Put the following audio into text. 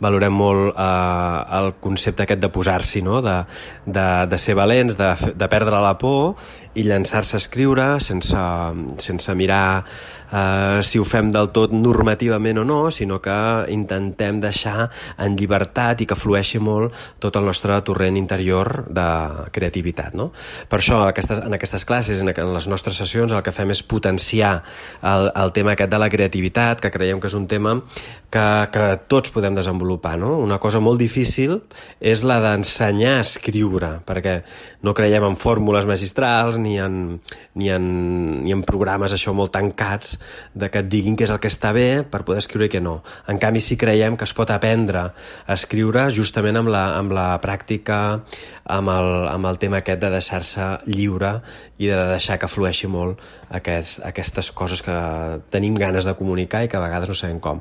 valorem molt el concepte aquest de posar-s'hi, no? De ser valents, de perdre la por i llançar-se a escriure sense mirar si ho fem del tot normativament o no, sinó que intentem deixar en llibertat i que flueixi molt tot el nostre torrent interior de creativitat, no? Per això en aquestes classes, en les nostres sessions, el que fem és potenciar el tema aquest de la creativitat, que creiem que és un tema que tots podem desenvolupar, no? Una cosa molt difícil és la d'ensenyar a escriure, perquè no creiem en fórmules magistrals ni en programes això molt tancats de que et diguin què és el que està bé per poder escriure i què no. En canvi, sí creiem que es pot aprendre a escriure justament amb la pràctica, amb el tema aquest de deixar-se lliure i de deixar que flueixi molt aquestes coses que tenim ganes de comunicar i que a vegades no sabem com.